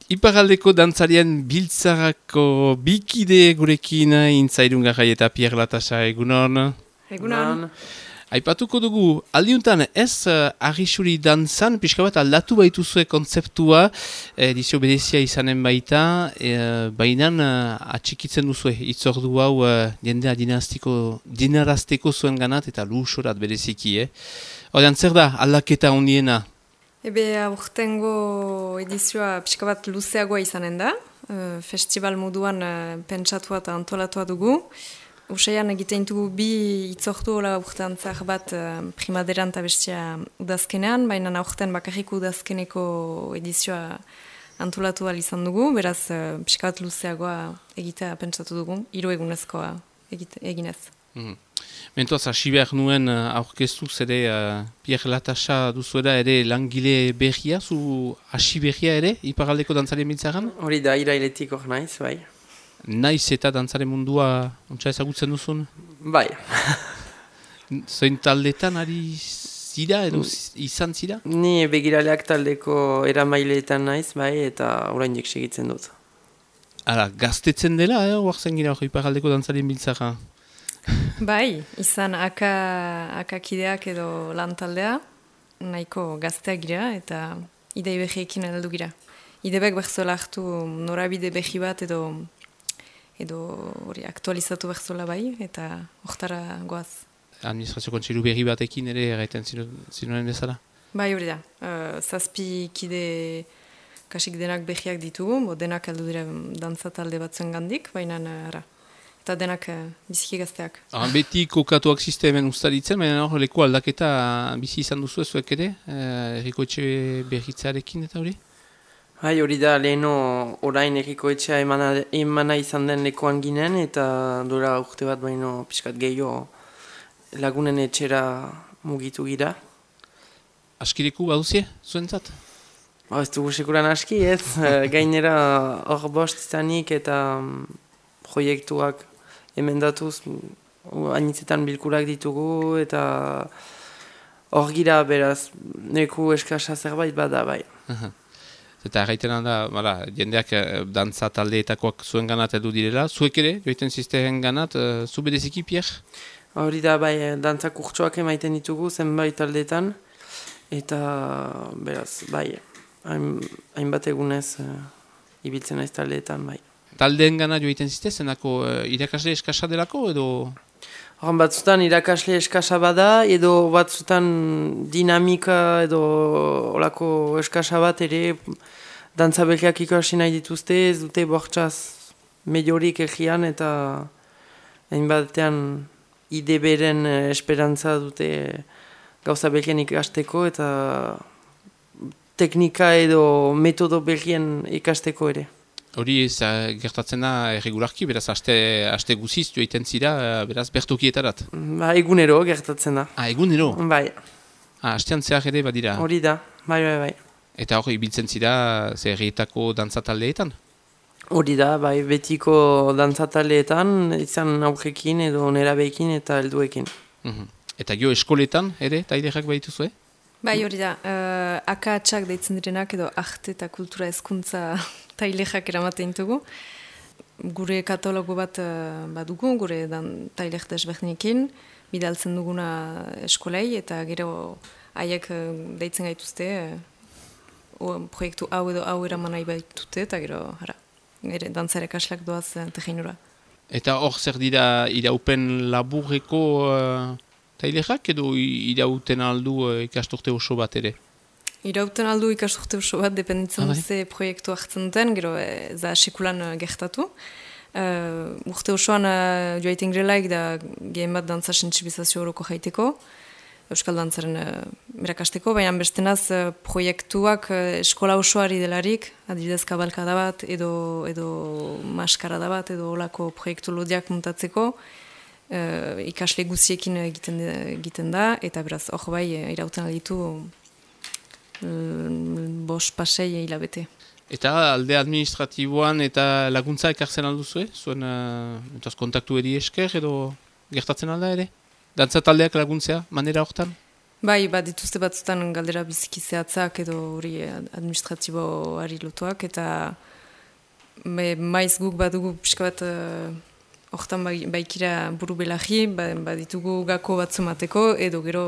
Iparaldeko dantzarien biltzarako bikide gurekin Intzairun Garrai eta Pierre Latasa egunon. Egunon. Aipatuko dugu, aldiuntan ez arrisuri dantzan, pixka bat aldatu baituzue kontzeptua, edizio berezia izanen baita, baina atxikitzen duzue, itzordu hau jendea dinarazteko zuen ganat eta luxorat bereziki. Horrean zer da aldaketa hondiena? Aurtengo edizioa pixka bat luzeagoa izanen da. Festival moduan pentsatua eta antolatua dugu. Usaian egiten dugu bi itzortu hola urtean zahar bat primaderan eta bestia udazkenean, baina aurten bakarrik udazkeneko edizioa antolatu izan dugu, beraz pixka bat luzeagoa egitea pentsatu dugu, 3 egunezkoa eginez. Mentoaz, hasi behar nuen aurkeztuz ere Pierre Latasa duzuela ere langile berria, zu hasi berria ere, iparaldeko dantzarien biltzaran? Hori da, irailetik hor naiz, bai. Naiz eta dantzaren mundua ontsa ezagutzen duzun? Bai. Zoin taldetan ari zira edo izan zira? Ni begiraleak taldeko eramaileetan naiz, bai, eta oraindik segitzen dut. Hala, gaztetzen dela, oartzen gira hori iparaldeko dantzarien biltzara? Bai, izan akakideak edo lan taldea, nahiko gazteak gira eta idei behiekin heldu gira. Idebek berzola hartu norabide behi bat edo hori aktualizatu berzola bai, eta hortara goaz. Administrazio kontseilu berri batekin ere erraiten zinuaren bezala? Bai, hori da. 7 kide kasik denak behiak ditugu, denak heldu dira dantza talde batzuen gandik, baina ara. Eta denak biziki gazteak. Beti kokatuak ziste hemen ustaritzen, baina hor leku aldaketa bizi izan duzu ezuek ere, errikoetxe berritzearekin eta hori? Bai, hori da, leheno orain errikoetxea emana izan den lekuan ginen, eta dora urte bat baino pixkat gehiago lagunen etxera mugitu gira. Askireku baduzie, zuentzat? Ez dugu sekuran aski, ez? Gainera hor bost izanik eta proiektuak emendatuz, hainitzetan bilkurak ditugu, eta hor gira beraz, neku eskasa zerbait bada bai. Eta erraiten da, jendeak dantza taldeetakoak zuen ganat edu direla, zuek ere, joiten zizteren ganat, zu bereziki, Pierre? Hori da, bai, dantza kurtsoak emaiten ditugu zenbait taldeetan, eta beraz, bai, hainbat egunez ibiltzen naiz taldeetan, bai. Taldeen gana joiten zizte, zenako irakasle eskasa delako edo? Horren batzutan irakasle eskasa bada, edo batzutan dinamika edo olako eskasa bat ere dantza berriak ikasi nahi dituzte, ez dute bortxaz mediorik egian eta hainbatean ide beren esperantza dute gauza berrien ikasteko eta teknika edo metodo berrien ikasteko ere. Hori gertatzen da erregularki, beraz aste guziz joiten zira, beraz bertokietarat? Egunero gertatzen da. Egunero? Bai. Astean zehar ere badira? Hori da, bai. Eta hori ibiltzen zira herrietako dantzataldeetan? Hori da, bai, betiko dantzataldeetan, izan aurrekin edo nerabeekin eta helduekin. Eta jo eskoletan ere, tailerak baituzue? Bai, hori da, akatsak deitzen direnak edo arte eta kultura hezkuntza tailexak eramaten dugu. Gure katalogo bat badugu, gure tailek desberdinekin, bidaltzen duguna eskolei, eta gero haiek deitzen gaituzte, proiektu hau edo hau eraman nahi baitute, eta gero, dantzare kaslak doaz tegeinura. Eta hor zer dira iraupen laburreko tailexak edo irauten aldu ikasturte oso bat ere? Irauten aldu ikasturte oso bat, dependitzen ze proiektu hartzen duten, gero za sekulan gertatu. Urte osoan joaiten grelaik da gehen bat dantza sensibilizazio horoko jaiteko, euskal dantzaren berakasteko, baina bestenaz proiektuak eskola osoari delarik, adibidez kabalkada bat, edo maskarada bat, edo olako proiektu lodiak muntatzeko, ikasle guziekin egiten da, eta beraz, hor bai, irauten alditu 5-6 hilabete. Eta alde administratiboan eta laguntza ekartzen alduzue? Zuen kontaktu eri esker edo gertatzen alda ere? Dantza taldeak laguntzea, manera hortan? Bai, dituzte batzutan galdera biziki zehatzak edo hori administratiboari lotuak, eta maiz guk badugu pixka bat hortan baikira buru belagi, ditugu gako batzumateko, edo gero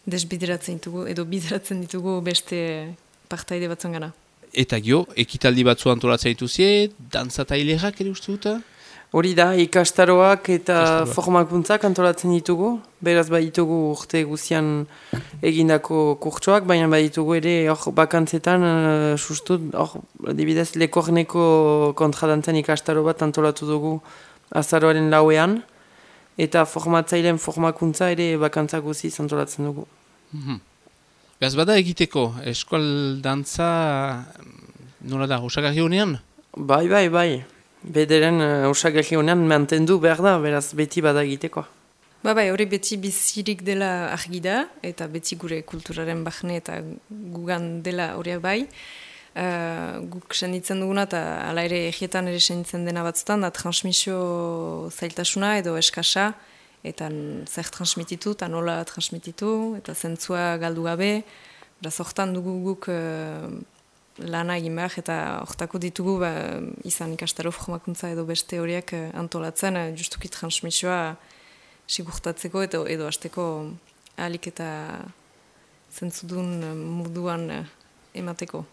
desbideratzen ditugu, edo bideratzen ditugu beste partaide batzuen gana. Eta gio, ekitaldi batzu antolatzen dituzie, dantzatailerak ere uste dut? Hori da, ikastaroak eta formakuntzak antolatzen ditugu. Beraz baditugu urte guzian egindako kurtsoak, baina baditugu ere bakantzetan sustut, dibidez Lekorneko kontradantzen ikastaro bat antolatu dugu azaroaren 4ean, eta formatzaileen formakuntza ere bakantzak guziz antolatzen dugu. Beraz bada egiteko, eskual dantza nola da, osagarri honean? Bai. Bederen osagarri honean mantendu behar da, beraz beti bada egiteko. Hori beti bizirik dela argi da, eta beti gure kulturaren bahne eta gugan dela horiak bai. Guk senditzen duguna, eta ala ere egietan ere senditzen dena batzutan, da transmisio zailtasuna edo eskasa, eta zer transmititu, eta nola transmititu, eta zentzua galdu gabe. Beraz hortan dugu guk lana egin behar, eta hortako ditugu izan ikastaro formakuntza edo beste horiek antolatzen, justuki transmisioa sigurtatzeko edo hasteko ahalik eta zentzudun moduan emateko.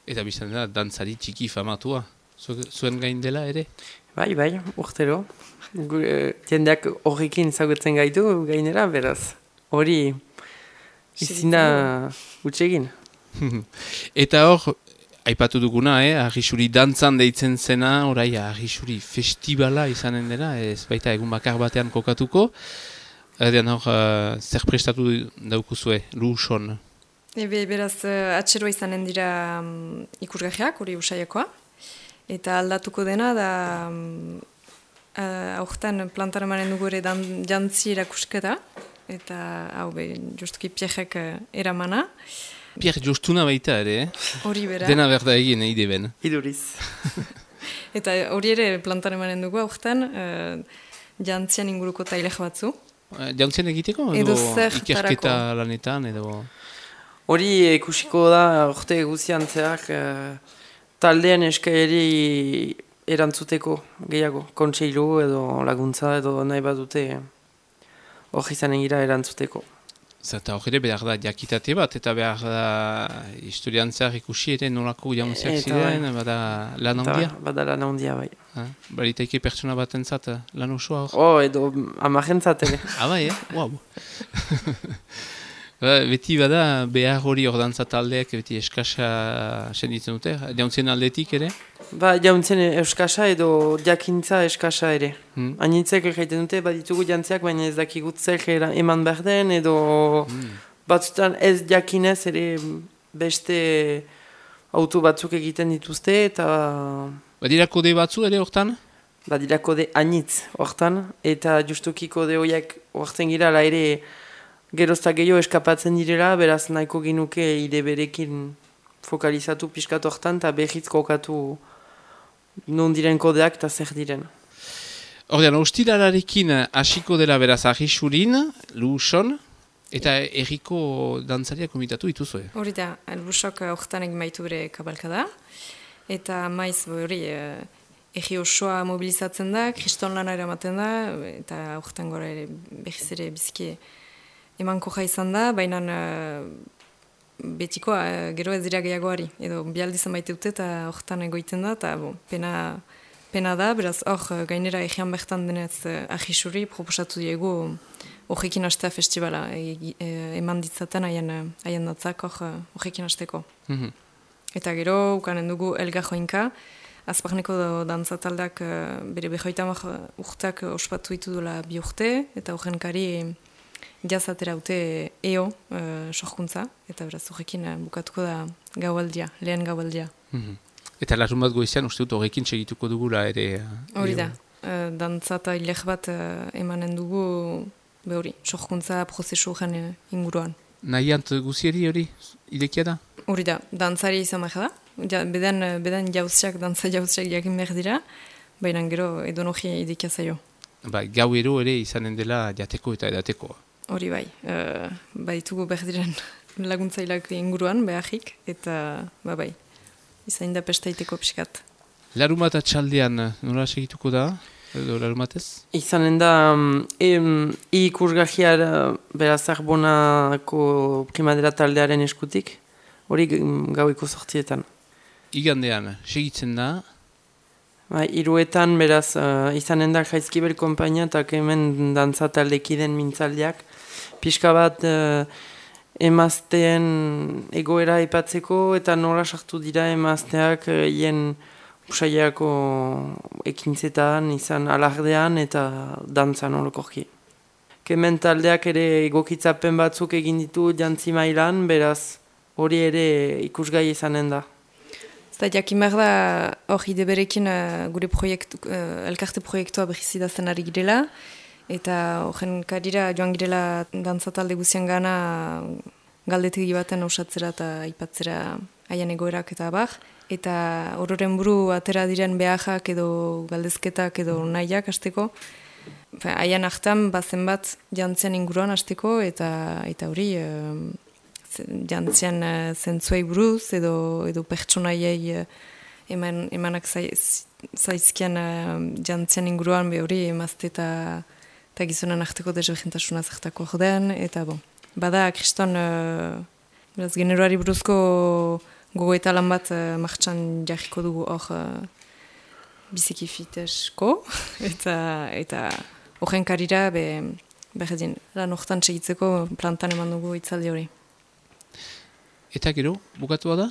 Eta bizan da, dantzari txiki famatua, zuen gain dela ere? Bai, urtero. Jendeak horrekin zagutzen gaitu gainera, beraz. Hori izina utxegin. Eta hor, aipatu duguna, Arrisuri dantzan deitzen zena, orai Arrisuri festivala izanen dela, ez baita egun bakar batean kokatuko. Edean hor, zer prestatu daukuzue, Luson? Beraz, atxeroa izanen dira ikusgajeak, hori usaiakoa. Eta aldatuko dena, da aurten plantara manen dugu ere jantzi erakusketa. Eta hau justuki Pierrek eramana. Pierre jostuna baita ere, Hori bera. Dena berda egin, eide ben. Iduriz. Eta hori ere plantaren manen dugu aurten, jantzian inguruko tailek batzu. Jantzien egiteko? Edo zer ikerketa lanetan, edo... Hori ikusiko da, urte guzian zehar, taldean eskaeri erantzuteko gehiago. Kontseilu edo laguntza edo nahi badute hori izanen gira erantzuteko. Zata hori ere behar da jakitate bat, eta behar da historian zehar ikusi ere nolako jantziak ziren, bada lan handia? Bada lan handia, bai. Baritaike pertsona bat entzat, lan osoa hor? Edo amarentzat ere. Bai, wow. Beti bada behar hori hor dantza taldeak beti eskasa senditzen dute, jauntzien aldetik ere? Jauntzien eskasa edo jakintza eskasa ere. Anitzek egiten dute, ditugu jantziak, baina ez dakigut zer eman behar den, edo batzutan ez jakinez ere beste auto batzuk egiten dituzte, eta... Badira kode batzu ere hortan? Badira kode anitz hortan, eta justuki kode horiek hortzen gira la ere... Gerozta gehiago eskapatzen direla, beraz nahiko ginuke ide berekin fokalizatu pixkat hortan, eta behiz kokatu non diren kodeak eta zer diren. Ordean, ostiralarekin hasiko dela beraz Arrisurin, Luson, eta erriko dantzaria komitatu dituzue. Hori da, Lusok hortan egin baitu bere kabalkada, eta maiz hori erri osoa mobilizatzen da, kriston lana eramaten da, eta hortan gora ere behiz ere biziki emanko izan da, baina betikoa gero ez dira gehiagoari. Edo bialdizan baite dute eta hortan egoiten da, eta pena da, beraz hor gainera egean bertan denez Arrisuri proposatu diegu horrekin hastea festivala eman ditzaten haien datzak horrekin hasteko. Eta gero ukanen dugu Elga Joinka, Azparneko dantzataldak bere 50 urteak ospatu ditu dola 2 urte, eta horren kari jazatera dute EO sorkuntza, eta beraz horrekin bukatuko da gaualdia, lehen gaualdia. Eta larun bat goizean uste dut horrekin segituko dugula ere... Hori da, dantzata hilek bat emanen dugu hori, sorkuntza prozesu gen inguruan. Nahiant guzieri hori, idekia da? Hori da, dantzari izan behar da, beden jauziak, dantza jauziak jakin behar dira, baina gero edonogia idekia zaio. Gau ero ere izanen dela jateko eta edateko. hori bai. Baitugu berdiren laguntzailak inguruan, beharik, eta bai, izain da pestaiteko pixkat. Larumat atxaldean nola segituko da? Edo larumatez? Izanen da, ikusgahiar beraz Arbonako primadera taldearen eskutik, hori gaueko 8:00. Igandean, segitzen da? Hiruetan beraz izanen da Jaizkibel konpainia eta hemen dantza taldekiden mintzaldiak. Pixka bat emazteen egoera aipatzeko eta nola sartu dira emazteak hien usaiako ekintzetan, izan alardean eta dantzan orokorki. Hemen taldeak ere egokitzapen batzuk egin ditu jantzi mailan, beraz hori ere ikusgai izanen da. Eta jakin behar da hori deberekin gure elkarte proiektua behizidazen ari girela, eta horren karira joan girela dantzatalde guzian gana galdetegi baten osatzera eta aipatzera haien egoerak eta abar, eta ororen buru atera diren behajak edo galdezketak edo nahiak hasteko, haien hartan bazen bat jantzian inguruan hasteko eta hori jantzian zentzuei buruz edo pertsonaiei emanak zaizkian jantzian inguruan hori emazte eta gizonan arteko desberdintasuna zertako jodean, eta bada kriston generoari buruzko gogo eta lan bat martxan jarriko dugu hor biziki fitesko, eta horren karira berdin lan hortan segitzeko plantan eman dugu itzaldi hori. Eta gero, bukatua da?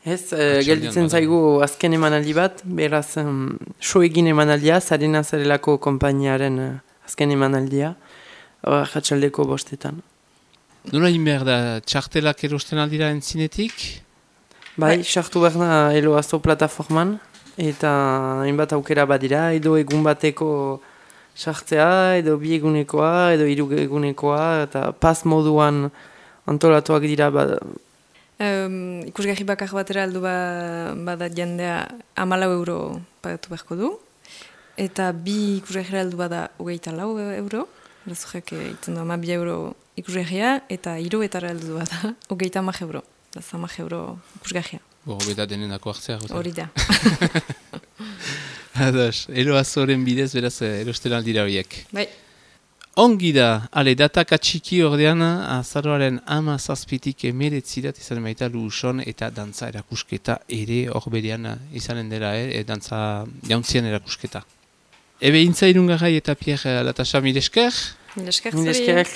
Ez, gelditzen zaigu azken emanaldi bat, beraz soegin emanaldia, Zarena Zarelako konpainiaren azken emanaldia, jatxaldeko 5:00. Nola behar da, txartelak erosten aldira entzinetik? Bai, sartu behar da Eloazo plataforman, eta hainbat aukera badira, edo egun bateko sartzea, edo 2 egunekoa, edo 3 egunekoa, eta pas moduan antolatuak dira ikusgarri bakar batera aldu bada jendea 14 euro pagatu beharko du, eta 2 ikusgarri aldu bada 24 euro, bezurek itzen du 12 euro ikusgarria, eta 3 etara aldu bada 30 euro, 30 euro ikusgarria. Beta denenako hartzea. Hori da. Ados, Eloazoren bidez beraz erosten aldira horiek. Bai. Ongi da, datak atxiki ordean, azaroaren 17-tik 19 izan baita Luuson eta dantza erakusketa ere hor berean izanen dela, dantza jauntzien erakusketa. Ebe intza irungarrai eta Pierre Latasa, mil esker? Mil esker.